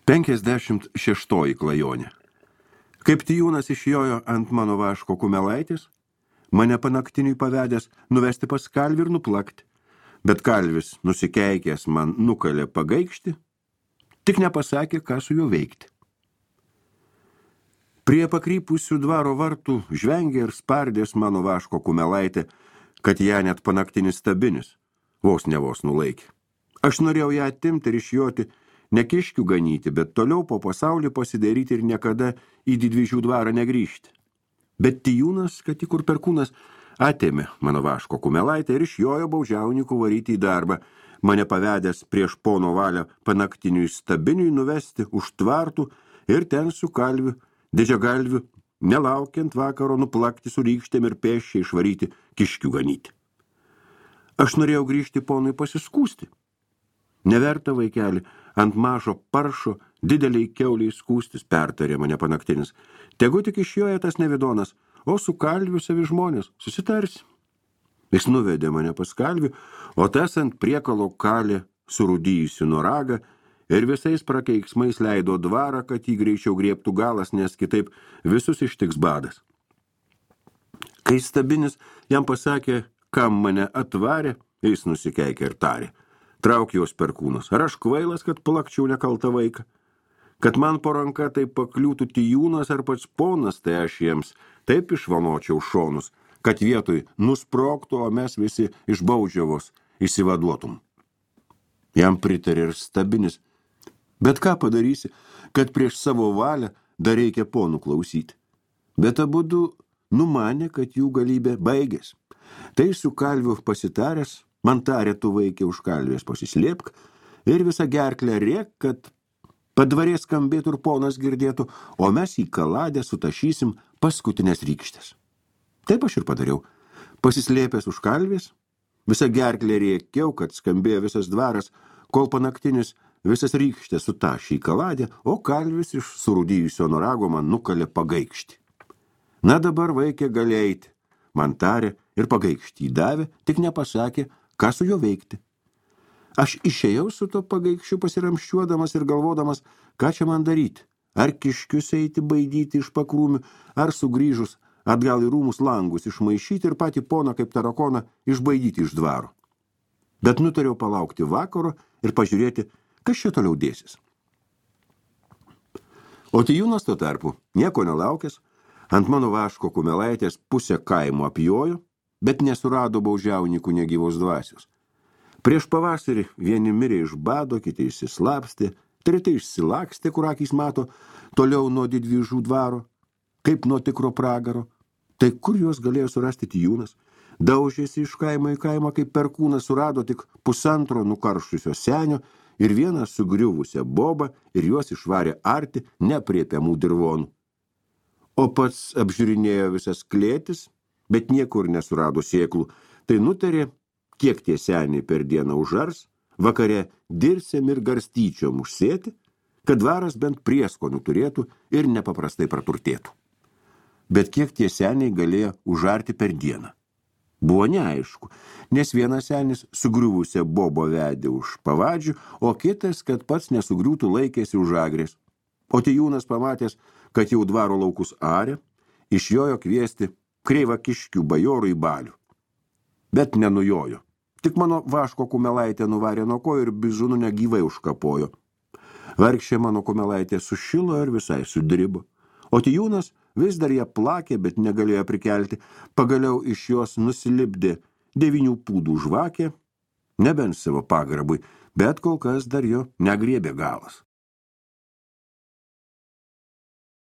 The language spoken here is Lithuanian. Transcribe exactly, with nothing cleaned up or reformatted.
Penkiasdešimt šeštoji klajonė. Kaip tijūnas išjojo ant mano vaško kumelaitis, mane panaktiniui pavedęs nuvesti pas kalvį ir nuplakti, bet kalvis nusikeikęs man nukalė pagaikšti, tik nepasakė, ką su juo veikti. Prie pakrypusių dvaro vartų žvengė ir spardės mano vaško kumelaitė, kad ją net panaktinis stabinis vos ne vos nulaikė. Aš norėjau ją atimti ir išjoti, ne kiškių ganyti, bet toliau po pasaulį pasidaryti ir niekada į didvyžių dvarą negrįžti. Bet tijūnas, kad tik kur perkūnas, atėmė mano vaško kumelaitę ir išjojo baudžiaunikų varyti į darbą, mane pavedęs prieš pono valią panaktiniui stabiniui nuvesti už tvartų ir ten su kalviu, didžiagalviu, nelaukiant vakaro nuplakti su rykštėm ir pėsčiai išvaryti kiškių ganyti. Aš norėjau grįžti ponui pasiskūsti. Neverta, vaikeli, ant mažo paršo dideliai kiauliai skūstis, pertarė mane panaktinis. Tegu tik išjoja tas nevidonas, o su kalviu savi žmonės susitarsi. Jis nuvedė mane pas kalvių, o tas ant priekalo kalė surūdyjusi nuo ragą ir visais prakeiksmais leido dvarą, kad jį greičiau griebtų galas, nes kitaip visus ištiks badas. Kai stabinis jam pasakė, kam mane atvarė, jis nusikeikė ir tarė. Trauk jos perkūnas. Ar aš kvailas, kad plakčiau nekaltą vaiką? Kad man po ranka taip pakliūtų tijūnas ar pats ponas, tai aš jiems taip išvanočiau šonus, kad vietoj nusprogtų, o mes visi iš baudžiavos įsivaduotum. Jam pritarė ir stabinis. Bet ką padarysi, kad prieš savo valią dar reikia ponų klausyti? Bet abudu numanė, kad jų galybė baigės. Tai su kalviu pasitaręs, man tarė, tu vaikė už kalvės pasislėpk ir visą gerklę rėk, kad padvarės skambėtų ir ponas girdėtų, o mes į kaladę sutašysim paskutinės rykštės. Taip aš ir padariau. Pasislėpęs už kalvės, visą gerklę rėkiau, kad skambėjo visas dvaras, kol panaktinis visas rykštės sutašė į kaladę, o kalvis iš surūdijusio norago man nukalė pagaikštį. Na dabar vaikė gali eiti, man tarė ir pagaikštį davė, tik nepasakė, ką su juo veikti. Aš išėjau su to pagaikščiu pasiramščiuodamas ir galvodamas, ką čia man daryti. Ar kiškius eiti baidyti iš pakrūmių, ar sugrįžus atgal į rūmus langus išmaišyti ir patį poną kaip tarakoną išbaidyti iš dvaro. Bet nutariau palaukti vakaro ir pažiūrėti, kas čia toliau dėsis. O tijūnas tuo tarpu, nieko nelaukęs, ant mano vaško kumelaitės pusę kaimo apjojo, bet nesurado baudžiaunikų negyvos dvasios. Prieš pavasarį vieni mirė iš bado, kiti išsislapstė, treti išsilakstė, kur akys mato, toliau nuo didvyžų dvaro, kaip nuo tikro pragaro. Tai kur juos galėjo surasti tijūnas? Daužėsi iš kaimo į kaimą, kaip perkūnas surado tik pusantro nukaršusio senio ir vieną sugriuvusią bobą ir juos išvarė arti nepriepiamų dirvonų. O pats apžiūrinėjo visas klėtis, bet niekur nesurado sėklų, tai nutarė, kiek tie seniai per dieną užars, vakare dirsėm ir garstyčiom užsėti, kad dvaras bent prieskonių turėtų ir nepaprastai praturtėtų. Bet kiek tie seniai galėjo užarti per dieną? Buvo neaišku, nes vienas senis sugriuvusią bobo vedė už pavadžių, o kitas, kad pats nesugriūtų, laikėsi už agrės. O tijūnas pamatęs, kad jau dvaro laukus arė, išjojo kviesti kreivą kiškių bajorų į balių. Bet nenujojo. Tik mano vaško kumelaitė nuvarė nuo ko ir bizūnų negyvai užkapojo. Vargšė mano kumelaitė sušilo ir visai sudribo. O tijūnas vis dar ją plakė, bet negalėjo prikelti. Pagaliau iš jos nusilipdė devynių pūdų žvakė, nebent savo pagarbui, bet kol kas dar jo negriebė galas.